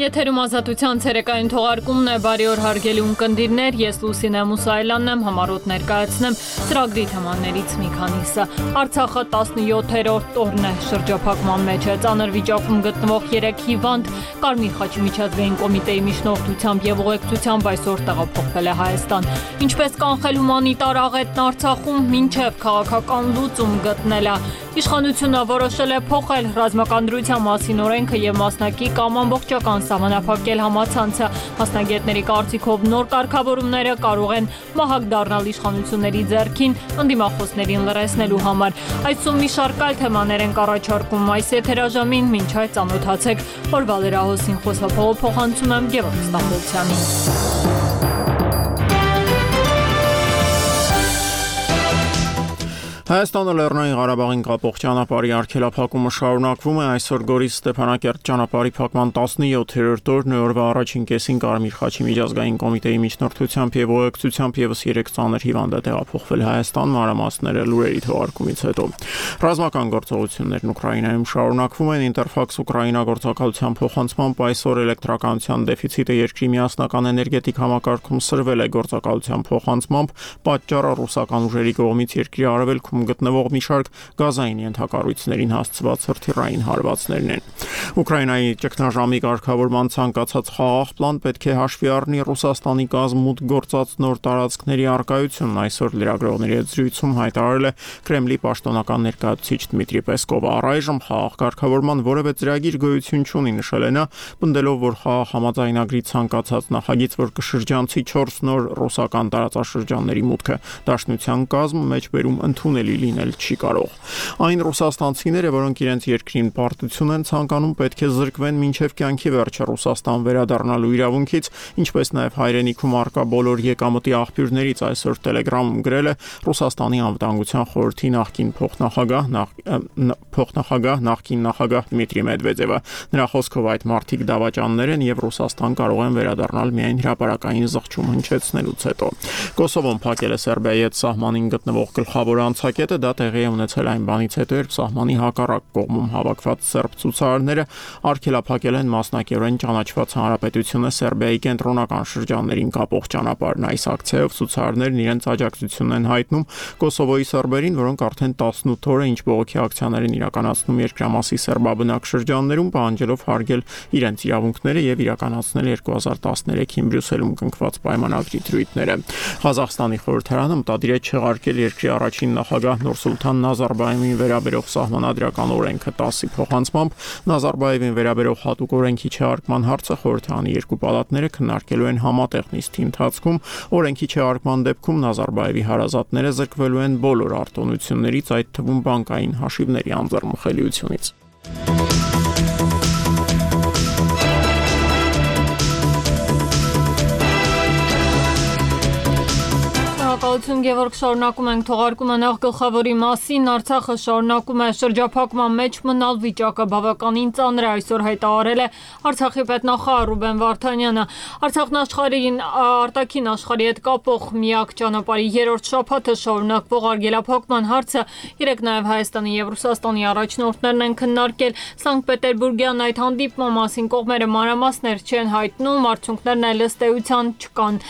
Եթերում ազատության ցերեկային թողարկումն է, բարի օր հարգելի ունկնդիրներ, ես Լուսինե Մուսայելյանն եմ, համառոտ ներկայացնեմ ծրագրի թեմաներից մի քանիսը։ Արցախը 17-րդ օրն է շրջափակման մեջ է, ծանր վիճակում գտնվող 3 հիվանդ Կարմիր խաչի միջազգային կոմիտեի միջնորդությամբ եւ ուղեկցությամբ այսօր տեղափոխվել է Հայաստան։ Ինչպես կանխել հումանիտար աղետն Արցախում, մինչև քաղաքական լուծում գտնել է։ Իշխանությունը որոշել է փոխել ռազմական դրության մասին օրենքը եւ մասնակի կամ ամբողջական սահմանափակել համացանցը։ Մասնագետների կարծիքով նոր կարգավորումները կարող են մահակ դառնալ իշխանությունների ձեռքին ընդդիմախոսներին լրացնելու համար։ Այսօր մի շարք այլ թեմաներ են առաջարկում այս եթերաժամին, մինչ այդ ծանոթացեք օրվա լրահոսին խոսափողով փոխանցում եմ Գևորգ Ստամբոլցյանին։ Հայաստանը Լեռնային Ղարաբաղին կապող ճանապարհի արգելափակումը շարունակվում է, այսօր Գորիս Ստեփանակերտ ճանապարհի փակման 17-րդ օրն է, օրվա առաջին կեսին Կարմիր խաչի միջազգային կոմիտեի միջնորդությամբ եւ ուղեկցությամբ եւս 3 ծանր հիվանդ է տեղափոխվել Հայաստան, մանրամասները լուրերի թողարկումից հետո։ Ռազմական գործողություններն Ուկրաինայում շարունակվում են, Ինտերֆաքս Ուկրաինա գործակալության փոխանցմամբ այսօր էլեկտրականության դեֆիցիտը երկրի միասնական էներգետիկ համակարգում սրվել է, գործակալության փոխանցմամբ պատճառը ռուսական ուժերի կողմից երկրի արևելքում գտնվող մի շարք գազային ենթակառույցներին հասցված հրթիռային հարվածներն են։ Ուկրաինայի ճգնաժամի կարգավորման ցանկացած խաղաղ պլան պետք է հաշվի առնի Ռուսաստանի կազմուտ գործած նոր տարածքների առկայությունն, այսօր լրագրողների հետ զրույցում հայտարարել է Կրեմլի պաշտոնական ներկայացուցիչ Դմիտրի Պեսկովը։ Առայժմ խաղաղ կարգավորման որևէ ծրագիր գոյություն չունի, նշել է նա, պնդելով, որ խաղաղ համաձայնագրի ցանկացած նախագիծ, որ կշրջանցի 4 նոր ռուսական տարածաշրջանների մուտքը դաշնության կազմ մեջբերում ընդունել լինել չի կարող։ Այն ռուսաստանցիները, որոնք իրենց երկրին պարտություն են ցանկանում, պետք է զրկվեն մինչև կյանքի վերջը Ռուսաստան վերադառնալու իրավունքից, ինչպես նաև հայրենիքում առկա բոլոր եկամտի աղբյուրներից, այսօր Telegram-ում գրել է Ռուսաստանի անվտանգության խորհրդի նախկին նախկին նախագահ Դմիտրի Մեդվեդևը։ Նրա խոսքով այդ մարդիկ դավաճաններ են եւ Ռուսաստան կարող են վերադառնալ միայն հրապարակային զղջում հնչեցնելուց հետո։ Կոսովոն փակել է Սերբիայի հետ սահմանին գտնվող գլխավոր անցակետը, դա տեղի է ունեցել այն բանից հետո, երբ սահմանի հակառակ կողմում հավաքված սերբ ցուցարարները արգելափակել են մասնակիորեն ճանաչված հանրապետությունը Սերբիայի կենտրոնական շրջաններին կապող ճանապարհն։ Այս ակցիայով ցուցարարներն իրենց աջակցությունն են հայտնում Կոսովոյի սերբերին, որոնք արդեն 18 օր է ինչ բողոքի ակցիաներ են իրականացնում երկրամասի սերբաբնակ շրջաններում, պահանջելով հարգել իրենց իրավունքները եւ իրականացնել 2013-ին Բրյուսելում կնքված պայմանագրի դրույթները։ Ղազախստանի խորհրդարանը մտադիր է չեղարկել երկրի առաջին նախագահ Նուրսուլթան Նազարբաևին վերաբերող սահմանադրական օրենքը 10-ի փոխանցմամբ Նազարբաևին վերաբերող հատուկ օրենքի չեղարկման հարցը խորհրդարանի երկու պալատները քննարկելու են համատեղ նիստի ընթացքում։ Օրենքի չեղարկման դեպքում Նազարբաևի հարազատները զրկվելու են բոլոր արտոնություններից, այդ թվում բանկային հաշիվների անձեռնմխելիությունից։ Շնորհակալություն Գևորգ, շարունակում ենք թողարկումը նախ գլխավորի մասին։ Արցախը շարունակում է շրջափակման մեջ մնալ, վիճակը բավականին ծանր է, այսօր հայտարարել է Արցախի պետնախարար Ռուբեն Վարդանյանը։ Արցախն աշխարհին արտաքին աշխարհի հետ կապող միակ ճանապարհի 3-րդ շաբաթը շարունակվող արգելափակման հարցը երեկ նաև Հայաստանի եւ Ռուսաստանի առաջնորդներն են քննարկել։ Սանկտ Պետերբուրգյան այդ հանդիպման մասին կողմերը մանրամասներ չեն հայտնում, արդյունքներն էլ ըստ էության չկան։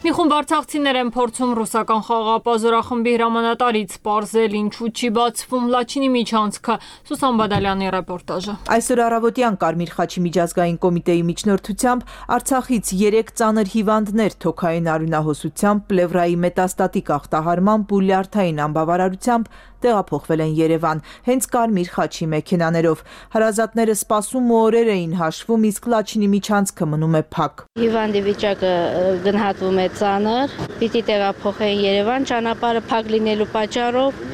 Մի խումբ արցախցիներ են փորձում ռուսական խաղաղապազորախմբի հրամանատարից պարզել ինչու չի բացվում Լաչինի միջանցքը։ Սուսան Բադալյանի ռեպորտաժը։ Այսօր առավոտյան Կարմիր խաչի միջազգային կոմիտեի միջնորդությամբ Արցախից 3 ծանր հիվանդներ թոքային արյունահոսությամբ, պլևրայի մետաստատիկ ախտահարմամբ ու լյարդային անբավարարությամբ տեղափոխվել են Երևան, հենց Կարմիր խաչի մեքենաներով։ Հարազատները սպասում ու օրեր էին հաշվում, իսկ Լաչինի միջանցքը մնում է փակ։ Հիվանդի վիճակը գնահատվում է ծանր, պիտի տեղափոխեն Երևան, ճանապարհը փակ լինելու պատճառով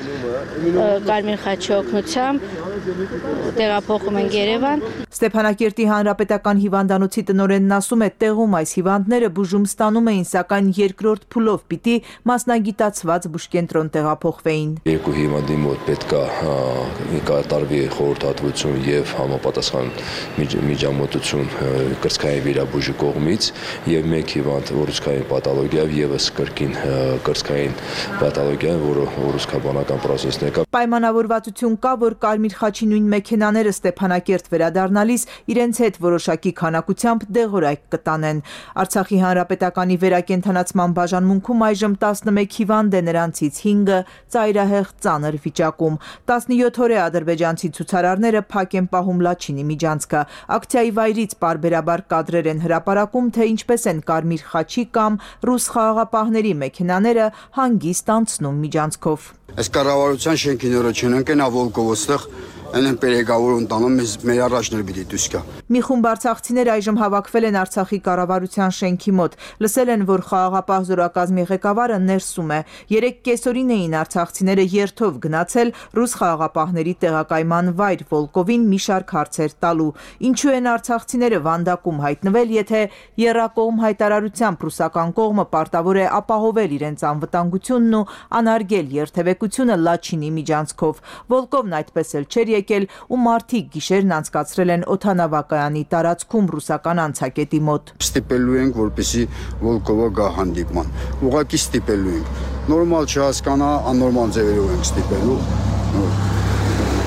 Կարմիր խաչի օգնությամբ տեղափոխում են Երևան։ Ստեփանակերտի հանրապետական հիվանդանոցի տնօրենն ասում է, տեղում այս հիվանդները բուժում ստանում էին, սակայն երկրորդ փուլով պիտի մասնագիտացված բուժկենտրոն տեղափոխվեին։ Երկու հիվանդի մոտ պետք է կատարվի խորհրդատվություն եւ համապատասխան միջամտություն կրծքային վիրաբույժի կողմից եւ մեկ հիվանդ ուռուցքային պաթոլոգիայով եւս կրկին կրծքային պաթոլոգիա, որը ուռուցքաբանական պրոցեսն է։ Պայմանավորվածություն կա, որ Կարմիր խաչի առաջին նույն մեքենաները Ստեփանակերտ վերադառնալիս իրենց հետ որոշակի քանակությամբ դեղորայք կտանեն։ Արցախի հանրապետականի վերակենդանացման բաժանմունքում այժմ 11 հիվանդ է, նրանցից 5-ը ծայրահեղ ծանր վիճակում։ 17 օր է ադրբեջանցի ցուցարարները փակ են պահում Լաչինի միջանցքը։ Ակցիայի վայրից պարբերաբար կադրեր են հրապարակում, թե ինչպես են Կարմիր խաչի կամ ռուս խաղաղապահների մեքենաները հանգիստ անցնում միջանցքով։ Այս կառավարության շենքի նորը չունենք են ավոլկով ոստեղ են պերեգավոր ընտանում մեր առաջներ պիտի դուրս գա։ Մի խումբ արցախցիներ այժմ հավաքվել են Արցախի կառավարության շենքի մոտ։ Լսել են, որ խաղաղապահ զորակազմի ղեկավարը ներսում է։ 3 կեսօրին էին արցախցիները երթով գնացել ռուս խաղաղապահների տեղակայման վայր Վոլկովին մի շարք հարցեր տալու։ Ինչու են արցախցիները վանդակում հայտնվել, եթե եռակողմ հայտարարությամբ ռուսական կողմը պարտավոր է ապահովել իրենց անվտանգությունն ու անարգել երթևեկությունը Լաչինի միջանցքով։ Վոլկովն այդպես էլ չէր եկել ու մարդիկ գիշերն անցկացրել են օդանավակայանի տարածքում ռուսական անցակետի մոտ։ Ստիպելու ենք, որպեսզի Վոլկովը գա հանդիպման։ Ուղղակի ստիպելու ենք։ Նորմալ չհասկանա, աննորմալ ձևերով ենք ստիպելու։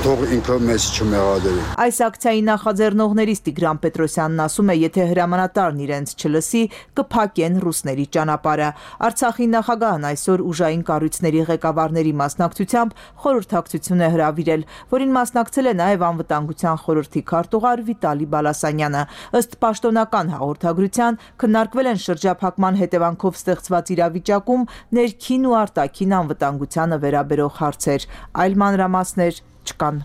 Թող ինքը մեզ չմեղադրի։ Այս ակցիայի նախաձեռնողներից Տիգրան Պետրոսյանն ասում է, եթե հրամանատարն իրենց չլսի, կփակեն ռուսների ճանապարհը։ Արցախի նախագահն այսօր ուժային կառույցների ղեկավարների մասնակցությամբ խորհրդակցություն է հրավիրել, որին մասնակցել է նաև անվտանգության խորհրդի քարտուղար Վիտալի Բալասանյանը։ Ըստ պաշտոնական հաղորդագրության քննարկվել են շրջափակման հետևանքով ստեղծված իրավիճակում ներքին ու արտաքին անվտանգությանը վերաբերող հարցեր։ Այլ մանրամասներ չկան։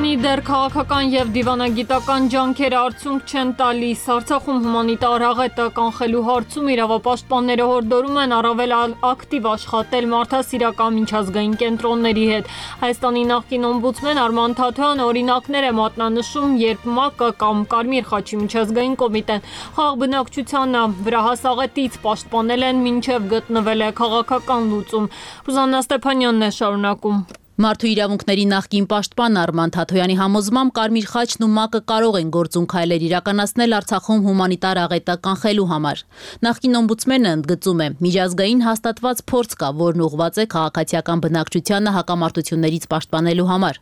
Քանի դեռ քաղաքական եւ դիվանագիտական ջանքերը արդյունք չեն տալիս, Արցախում հումանիտար աղետը կանխելու հարցում իրավապաշտպանները հորդորում են առավել ակտիվ աշխատել մարդասիրական միջազգային կենտրոնների հետ։ Հայաստանի նախկին օմբուդսմեն Արման Թաթոյանը օրինակներ է մատնանշում, երբ ՄԱԿ-ը կամ Կարմիր խաչի միջազգային կոմիտեն խաղ բնակչությանը վրա հասաղետից պաշտպանել են, մինչև գտնվել է քաղաքական լուծում։ Ռուզաննա Ստեփանյանն է շարունակում։ Մարդու իրավունքների նախկին պաշտպան Արման Թաթոյանի համոզմամբ Կարմիր խաչն ու ՄԱԿ-ը կարող են գործուն քայլեր իրականացնել Արցախում հումանիտար աղետը կանխելու համար։ Նախկին օմբուդսմենը ընդգծում է, միջազգային հաստատված փորձ կա, որն ուղղված է քաղաքացիական բնակչությանը հակամարտություններից պաշտպանելու համար։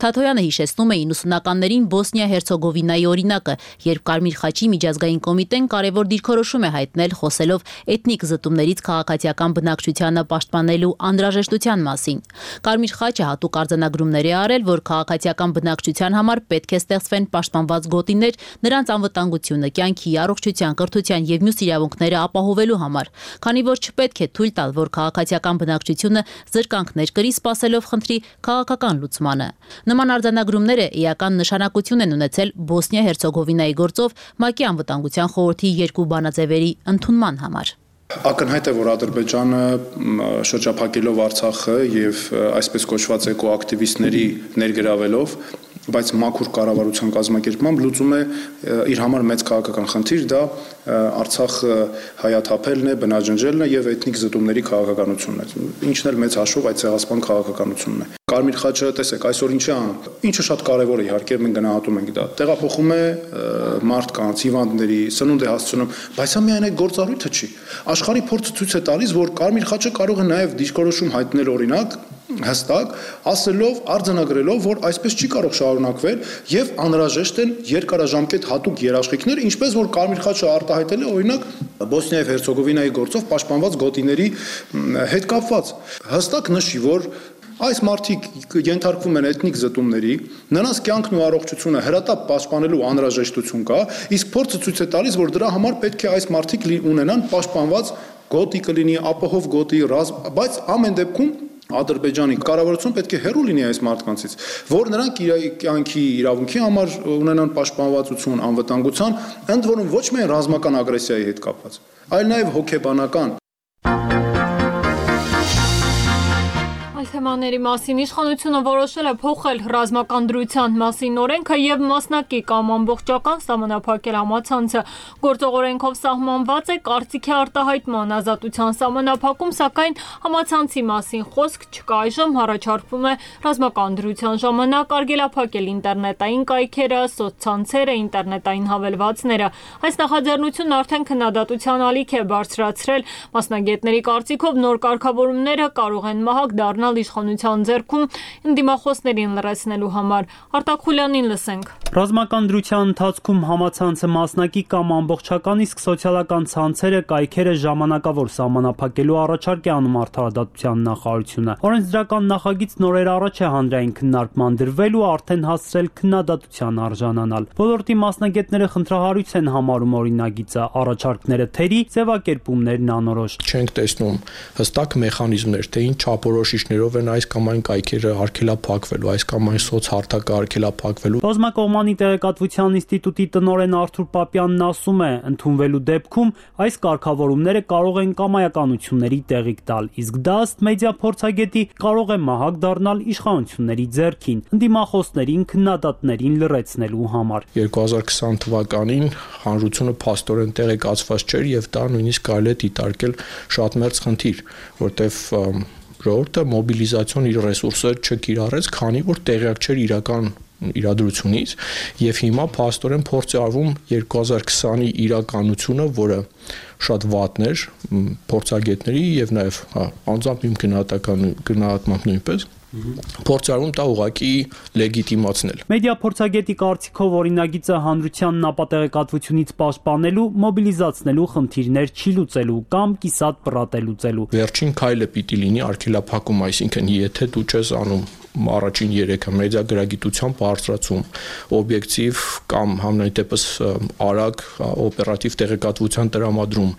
Թաթոյանը հիշեցնում է 90-ականներին Բոսնիա-Հերցեգովինայի օրինակը, երբ Կարմիր խաչի միջազգային կոմիտեն կարևոր դիրքորոշում է հայտնել, խոսելով էթնիկ զտումներից քաղաքացիական բնակչությանը պաշտպանելու անհրաժեշտության մասին։ Կարմիր խաչը հատուկ արձանագրումներ է արել, որ քաղաքացիական բնակչության համար պետք է ստեղծվեն պաշտպանված գոտիներ նրանց անվտանգությունը, կյանքի, առողջության, կրթության եւ մյուս իրավունքները ապահովելու համար, քանի որ չպետք է թույլ տալ, որ քաղաքացիական բնակչությունը զրկանքներ կրի, սպասելով խնդրի քաղաքական լուծմանը։ Նման արձանագրումները էական նշանակություն են ունեցել Բոսնիա-Հերցեգովինայի գործով ՄԱԿ-ի անվտանգության խորհրդի երկու բանաձևերի ընդունման համար։ Ակնհայտ է, որ Ադրբեջանը շրջափակելով Արցախը եւ այսպես կոչված էկոակտիվիստների ներգրավելով, բայց մաքուր կառավարության կազմակերպմամբ լուծում է իր համար մեծ քաղաքական խնդիր, դա Արցախը հայաթափելն է, բնաջնջելն է եւ էթնիկ զտումների քաղաքականությունն է։ Ինչն էլ մեծ հաշվով այդ ցեղասպան քաղաքականությունն է։ Կարմիր խաչը, տեսեք, այսօր ինչ է անում։ Ինչը շատ կարևոր է, իհարկե մենք գնահատում ենք դա։ Տեղափոխում է մարդկանց, հիվանդների, սնունդ է հասցնում, բայց դա միայն այդ գործառույթը չի։ Աշխարհի փորձը ցույց է տալիս, որ Կարմիր խաչը կարող է նաև դիրքորոշում հայտնել օրինակ հստակ, ասելով, արձանագրելով, որ այսպես չի կարող շարունակվել եւ անհրաժեշտ են երկարաժամկետ հատուկ երաշխիքներ, ինչպես որ Կարմիր խաչը արտահայտել է օրինակ Բոսնիա եւ Հերցեգովինայի գործով պաշտպանված գոտիների հետ կապված։ Հստակ նշի, որ այս մարդիկ ենթարկվում են էթնիկ զտումների, նրանց կյանքն ու առողջությունը հրատապ պաշտպանելու անհրաժեշտություն կա, իսկ փորձը ցույց է տալիս, որ դրա համար պետք է այս մարդիկ ունենան պաշտպանված գոտի կլինի, ապահով գոտի, բայց ամեն դեպքում Ադրբեջանի կառավարությունը պետք է հեռու լինի այս մարդկանցից, որ նրանք կյանքի իրավունքի համար ունենան պաշտպանվածություն, անվտանգության, ընդ որում ոչ միայն ռազմական ագրեսիայի հետ կապված, այլ նաև հոգեբանական։ Թեմաների մասին իշխանությունը որոշել է փոխել ռազմական դրության մասին օրենքը եւ մասնակի կամ ամբողջական սահմանափակել համացանցը։ Գործող օրենքով սահմանված է կարծիքի արտահայտման ազատության սահմանափակում, սակայն համացանցի մասին խոսք չկա։ Այժմ առաջարկվում է ռազմական դրության ժամանակ արգելափակել ինտերնետային կայքերը, սոցցանցերը, ինտերնետային հավելվածները։ Այս նախաձեռնությունն արդեն քննադատության ալիք է բարձրացրել։ Մասնագետների կարծիքով նոր կարգավորումները կարող են մահակ դառնալ գնալ իշխանության ձեռքում ընդդիմախոսներին լրացնելու համար։ Արտակ Խուլյանին լսենք։ Ռազմական դրության ընթացքում համացանցը մասնակի կամ ամբողջական, իսկ սոցիալական ցանցերը կայքերը ժամանակավոր սահմանափակելու առաջարկ է անում արդարադատության նախարարությունը։ Օրենսդրական նախագիծ նորեր առաջ է հանրային քննարկման դրվել ու արդեն հասցրել քննադատության արժանանալ։ Ոլորտի մասնագետները խնդրահարույց են համարում օրինագիծը, առաջարկները թերի, ձևակերպումներն անորոշ։ Չենք տեսնում հստակ մեխանիզմներ, թե ինչ չափորոշիչներով են այս կամ այն կայքերը արգելափակվելու, այս կամ այն սոցհարթակը արգելափակվելու։ Բազմակողմանի տեղեկատվության ինստիտուտի տնօրեն Արթուր Պապյանն ասում է, ընդունվելու դեպքում այս կարգավորումները կարող են կամայականությունների տեղիք տալ, իսկ դա ըստ մեդիա փորձագետի կարող է մահակ դառնալ իշխանությունների ձեռքին, ընդդիմախոսներին, քննադատներին լրացնելու համար։ 2020 թվականին հանրությունը փաստորեն տեղեկացված չէր եւ դա նույնիսկ կարելի է դիտարկել շատ մեծ խնդիր, որտեվ ժողովուրդը մոբիլիզացիոն իր ռեսուրսը չկիրառեց, քանի որ տեղյակ չէր իրական իրադրությունից եւ հիմա փաստորեն փորձ է արվում 2020-ի իրականությունը, որը շատ վատն էր փորձագետների եւ նաեւ անձամբ իմ գնահատմամբ նույնպես փորձարում դա ուղղակի լեգիտիմացնել։ Մեդիա փորձագետի կարծիքով օրինագիծը հանրությանն ապատեղեկատվությունից պաշտպանելու, մոբիլիզացնելու խնդիրներ չի լուծելու կամ կիսատ պրատելուծելու։ Վերջին քայլը պիտի լինի արգելափակում, այսինքն եթե դու չես անում առաջին 3-ը մեդիա գրագիտության բարձրացում, օբյեկտիվ կամ համենայն դեպս արագ օպերատիվ տեղեկատվության տրամադրում,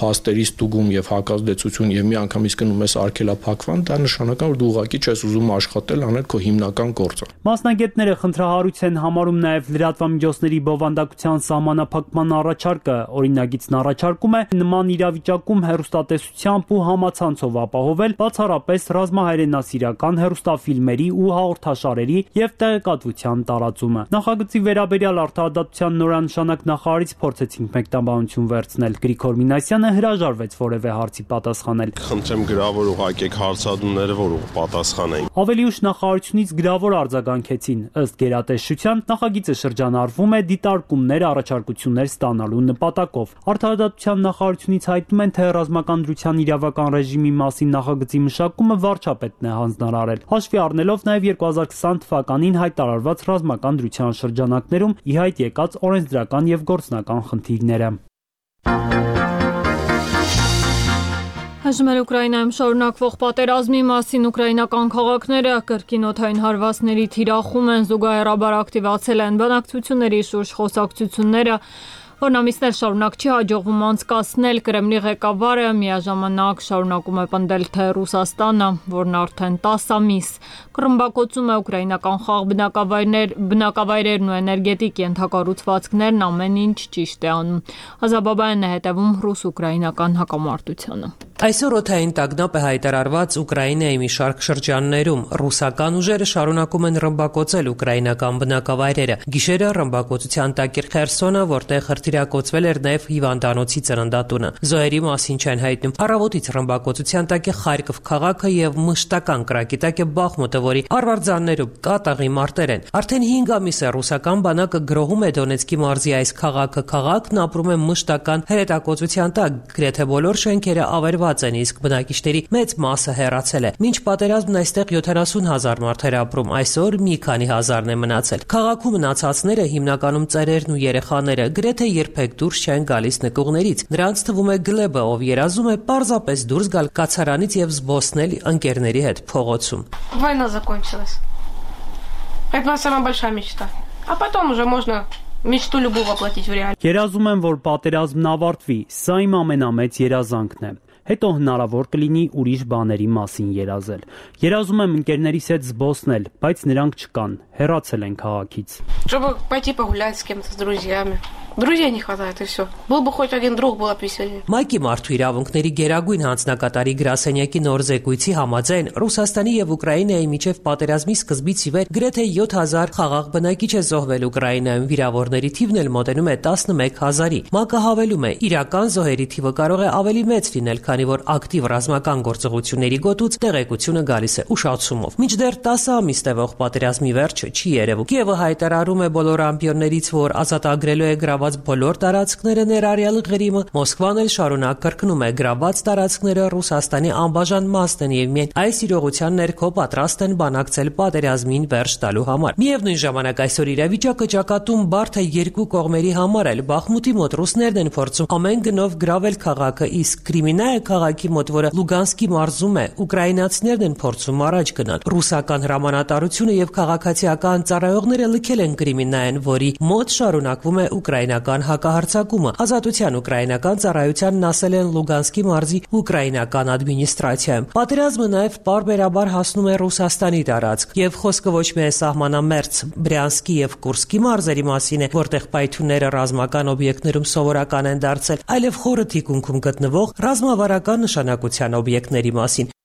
փաստերի ստուգում եւ հակազդեցություն եւ միանգամից գնում ես արգելափակվան, դա նշանակում է որ դու ուղղակի չես ուզում աշխատել, անել քո հիմնական գործը։ Մասնագետները խնդրահարույց են համարում նաեւ լրատվամիջոցների բովանդակության սահմանափակման առաջարկը։ Օրինագիծն առաջարկում է նման իրավիճակում հեռուստատեսությամբ ու համացանցով ապահովել բացառապես ռազմահայրենասիրական հեռուստաֆիլմերի ու հաղորդաշարերի եւ տեղեկատվության տարածումը։ Նախագծի վերաբերյալ արդարադատության նորանշանակ նախարարից փորձեցինք մեկնաբանություն վերցնել։ Գրիգոր Մինասյանը հրաժարվեց որևէ հարցի պատասխանել։ Խնդրեմ գրավոր ուղարկեք հարցադրումները, որ պատասխանեն։ Ավելի ուշ նախարարությունից գրավոր արձագանքեցին։ Ըստ գերատեսչության նախագիծը շրջանառվում է դիտարկումներ, առաջարկություններ ստանալու նպատակով։ Արդարադատության նախարարությունից հայտնում են, թե ռազմական դրության իրավական ռեժիմի մասին նախագծի մշակումը վարչապետն է հանձնարարել։ Հաշվի առնելով նաև 2020 թվականին հայտարարված ռազմական դրության շրջանակներում ի հայտ եկած օրենսդրական եւ գործնական խնդիրները։ Հաշվում է Ուկրաինայում շարունակվող պատերազմի մասին ուկրաինական քաղաքները կրկին օդային հարվածների թիրախում են, զուգահեռաբար ակտիվացել են բանակցությունների շուրջ խոսակցությունները, որն ամիսներ շարունակ չի հաջողվում անցկացնել։ Կրեմլի ղեկավարը միաժամանակ շարունակում է պնդել, թե Ռուսաստանը, որն արդեն 10 ամիս կռմբակոծում է ուկրաինական խաղ բնակավայրերն ու էներգետիկ ենթակառուցվածքներն, ամեն ինչ ճիշտ է անում։ Ազաբաբայանն է հետևում ռուս-ուկրաինական հակամարտությանը։ Այսօր օդային տագնապ է հայտարարված Ուկրաինայի մի շարք շրջաններում։ Ռուսական ուժերը շարունակում են ռմբակոծել ուկրաինական բնակավայրերը։ Գիշերը ռմբակոծության տակ էր Խերսոնը, որտեղ հրթիռակոծվել էր նաև հիվանդանոցի ծննդատունը։ Զոհերի մասին չեն հայտնում։ Առավոտից ռմբակոծության տակ է Խարկով քաղաքը եւ մշտական կրակի տակ է Բախմուտը, որի արվարձաններում կատաղի մարտեր են։ Արդեն 5 ամիս է ռուսական բանակը գրոհում է Դոնեցկի մարզի այս քաղաքը։ Քաղաքն ապրում է մշտական հրետակոծության տակ։ Գրեթե բոլոր շենքերը ավերված են, իսկ բնակիչների մեծ մասը հեռացել է։ Մինչ պատերազմն այստեղ 70,000 մարդ էր ապրում, այսօր մի քանի հազարն է մնացել։ Քաղաքում մնացածները հիմնականում ծերերն ու երեխաները գրեթե երբեք դուրս չեն գալիս նկուղներից։ Նրանց թվում է Գլեբը, ով երազում է պարզապես դուրս գալ կացարանից եւ զբոսնել ընկերների հետ փողոցում։ Война закончилась. Это самая большая мечта. А потом уже можно Միշտ любого воплотить в реальность։ Երազում եմ, որ պատերազմն ավարտվի, սա իմ ամենամեծ երազանքն է։ Հետո հնարավոր կլինի ուրիշ բաների մասին երազել։ Երազում եմ ընկերներիս հետ զբոսնել, բայց նրանք չկան, հեռացել են քաղաքից։ Чтобы пойти погулять с кем-то, с друзьями. Друзей не хватает и все. Был бы хоть один друг, было бы веселее։ Մայքի մարդու իրավունքների գերագույն հանձնակատարի գրասենյակի նոր զեկույցի համաձայն Ռուսաստանի եւ Ուկրաինայի միջև պատերազմի սկզբից ի վեր գրեթե 7000 խաղաղ բնակիչ է զոհվել Ուկրաինայում, վիրավորների թիվն էլ մոտենում է 11000-ի։ ՄԱԿ-ը հավելում է, իրական զոհերի թիվը կարող է ավելի մեծ լինել, քանի որ ակտիվ ռազմական գործողությունների գոտուց տեղեկությունը գալիս է ուշացումով։ Մինչդեռ 10 ամիս տևող պատերազմի վերջը չի երևում։ Կիևը հայտարարում է բոլոր ամպիոններից, որ ազատագրելու է գրաված բոլոր տարածքները ներառյալ Ղրիմը, Մոսկվան էլ շարունակ կրկնում է գրաված տարածքները Ռուսաստանի անբաժան մասն են եւ միայն այս իրողության ներքո պատրաստ են բանակցել պատերազմին վերջ տալու համար։ Միևնույն ժամանակ այսօր իրավիճակը ճակատում բարդ է երկու կողմերի համար էլ։ Բախմուտի մոտ ռուսներն են փորձում ամեն գնով գրավել քաղաքը, իսկ Կրիմինայա քաղաքի մոտ, որը Լուգանսկի մարզում է, ուկրաինացիներն են փորձում առաջ գնալ։ Ռուսական հրամանատարությունը եւ քաղաքացիական ծառայողները լքել են Կրիմինայեն, որի մոտ շարունակվում է ուկրաինական հակահարձակումը։ Ազատության ուկրաինական ծառայությանն ասել են Լուգանսկի մարզի ուկրաինական ադմինիստրացիայում։ Պատերազմը նաեւ պարբերաբար հասնում է Ռուսաստանի տարածք, եւ խոսքը ոչ միայն սահմանամերձ Բրյանսկի եւ Կուրսկի մարզերի մասին է, որտեղ պայթյունները ռազմական օբյեկտներում սովորական են դարձել, այլև խորը թիկունքում գտնվող ռազմավարական նշանակության օբյեկտների մասին։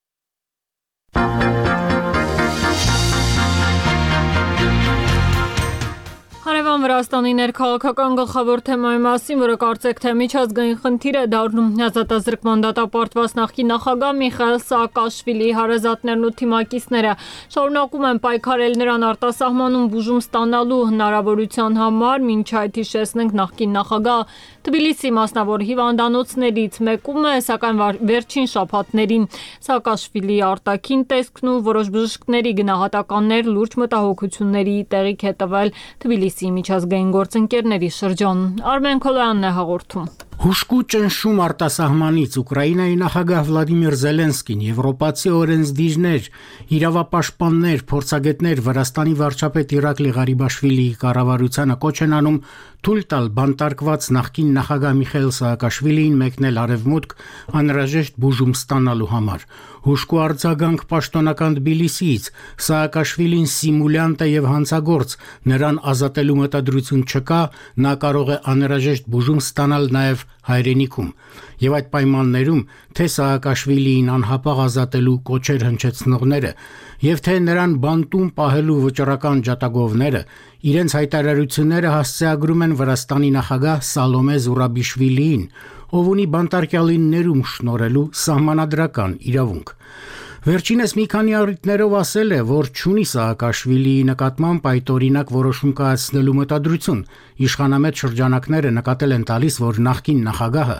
Հարևան Վրաստանի ներքաղաքական գլխավոր թեմայի մասին, որը կարծեք թե միջազգային խնդիր է դառնում, ազատազրկման դատապարտված նախկին նախագահ Միխայիլ Սաակաշվիլիի հարազատներն ու թիմակիցները շարունակում են պայքարել նրան արտասահմանում բուժում ստանալու հնարավորության համար, մինչ այդ հիշեցնենք նախկին նախագահ Թբիլիսի մասնավոր հիվանդանոցներից մեկում է, սակայն վերջին շաբաթներին Սաակաշվիլիի արտաքին տեսքն ու որոշ բժիշկների գնահատականներ լուրջ մտահոգությունների տեղիք է տվել Թբիլիսի միջազգային գործընկերների շրջան։ Արմեն Քոլոյանն է հաղորդում։ Հուշկու ճնշում արտասահմանից Ուկրաինայի նախագահ Վլադիմիր Զելենսկին, եվրոպացի օրենսդիրներ, իրավապաշտպաններ, փորձագետներ Վրաստանի վարչապետ Իրակլի Ղարիբաշվիլիի կառավարությանը կոչ են անում թույլ տալ բանտարկված նախկին նախագահ Միխայիլ Սաակաշվիլիին մեկնել արևմուտք անհրաժեշտ բուժում ստանալու համար։ Հուշկու արձագանք պաշտոնական Թբիլիսիից Սաակաշվիլին սիմուլյանտ է եւ հանցագործ, նրան ազատելու մտադրություն չկա, նա կարող է անհրաժեշտ բուժում ստանալ նաեւ հայրենիքում, եւ այդ պայմաններում թե Սաակաշվիլիին անհապաղ ազատելու կոչեր հնչեցնողները եւ թե նրան բանտում պահելու վճռական ջատագովները իրենց հայտարարությունները հասցեագրում են Վրաստանի նախագահ Սալոմե Զուրաբիշվիլիին, ով ունի բանտարկյալին ներում շնորհելու սահմանադրական իրավունք։ Վերջինս մի քանի առիթներով ասել է, որ չունի Սաակաշվիլիի նկատմամբ այդօրինակ որոշում կայացնելու մտադրություն։ Իշխանամետ շրջանակները նկատել են տալիս, որ նախկին նախագահը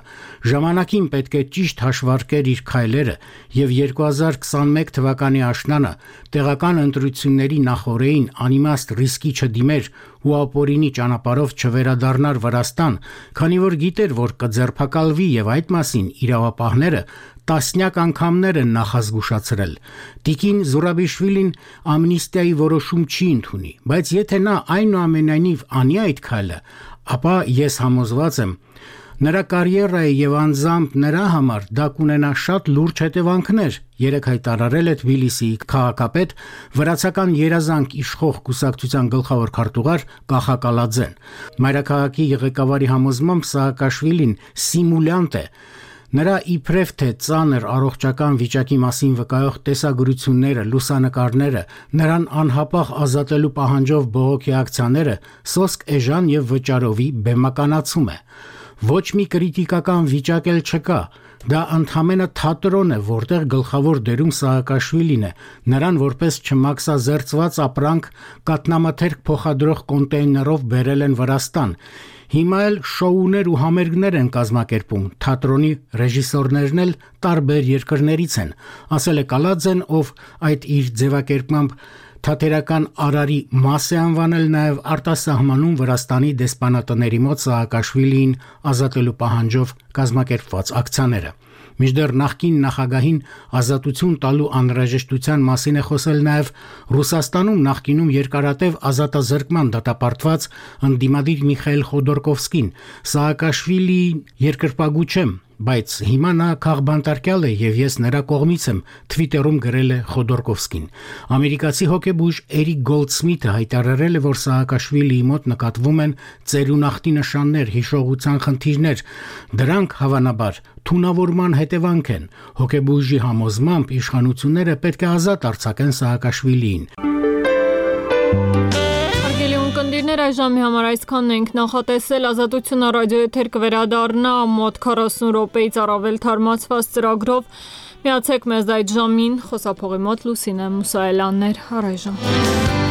ժամանակին պետք է ճիշտ հաշվարկեր իր քայլերը եւ 2021 թվականի աշնանը տեղական ընտրությունների նախօրեին անիմաստ ռիսկի չդիմեր ու ապօրինի ճանապարհով չվերադառնար Վրաստան, քանի որ գիտեր, որ կձերբակալվի եւ այդ մասին իրավապահները տասնյակ անգամներ են նախազգուշացրել։ Տիկին Զուրաբիշվիլին ամնիստիայի որոշում չի ընդունի, բայց եթե նա այնուամենայնիվ անի այդ քայլը, ապա ես համոզված եմ, նրա կարիերայի եւ անձամբ նրա համար դա կունենա շատ լուրջ հետևանքներ, երեք հայտարարել է Թբիլիսիի քաղաքապետ վրացական երազանք իշխող կուսակցության գլխավոր քարտուղար Կախա Կալաձեն։ Մայրաքաղաքի ղեկավարի համոզմամբ Սաակաշվիլին սիմուլյանտ է։ Նրա իբրև թե ծանր առողջական վիճակի մասին վկայող տեսագրությունները, լուսանկարները, նրան անհապաղ ազատելու պահանջով բողոքի ակցիաները սոսկ էժան եւ վճարովի բեմականացում է։ Ոչ մի քրիտիկական վիճակ էլ չկա։ Դա ընդհանրապես թատրոն է, որտեղ գլխավոր դերում Սաակաշվիլին է, նրան որպես չմաքսազերծված ապրանք կատնամաթերք փոխադրող կոնտեյներով բերել են Վրաստան։ Հիմա էլ շոուներ ու համերգներ են կազմակերպում, թատրոնի ռեժիսորներն էլ տարբեր երկրներից են, ասել է Կալաձեն, ով այդ իր ձևակերպմամբ թատերական արարի մաս է անվանել նաև արտասահմանում Վրաստանի դեսպանատների մոտ Սաակաշվիլիին ազատելու պահանջով կազմակերպված ակցիաները։ Մինչդեռ նախկին նախագահին ազատություն տալու անհրաժեշտության մասին է խոսել նաև Ռուսաստանում նախկինում երկարատև ազատազրկման դատապարտված ընդդիմադիր Միխայիլ Խոդորկովսկին։ Սաակաշվիլիին երկրպագու չեմ, բայց հիմա նա քաղբանտարկյալ է եւ ես նրա կողմից եմ, Twitter-ում գրել է Խոդորկովսկին։ Ամերիկացի հոկեբույժ Էրիկ Գոլդսմիթը հայտարարել է, որ Սաակաշվիլիի մոտ նկատվում են ծերունախտի նշաններ, հիշողության խնդիրներ։ Դրանք հավանաբար թունավորման հետևանք են։ Հոկեբույժի համոզմամբ իշխանությունները պետք է ազատ արձակեն Սաակաշվիլիին։ Կնդիրներ այժմի համար այսքանն ենք նախատեսել, Ազատությունը ռադիոեթեր կվերադառնա մոտ 40 րոպեից առավել թարմացված ծրագրով։ Միացեք մեզ այդ ժամին, խոսափողի մոտ Լուսինե Մուսայելյանն էր, առայժմ։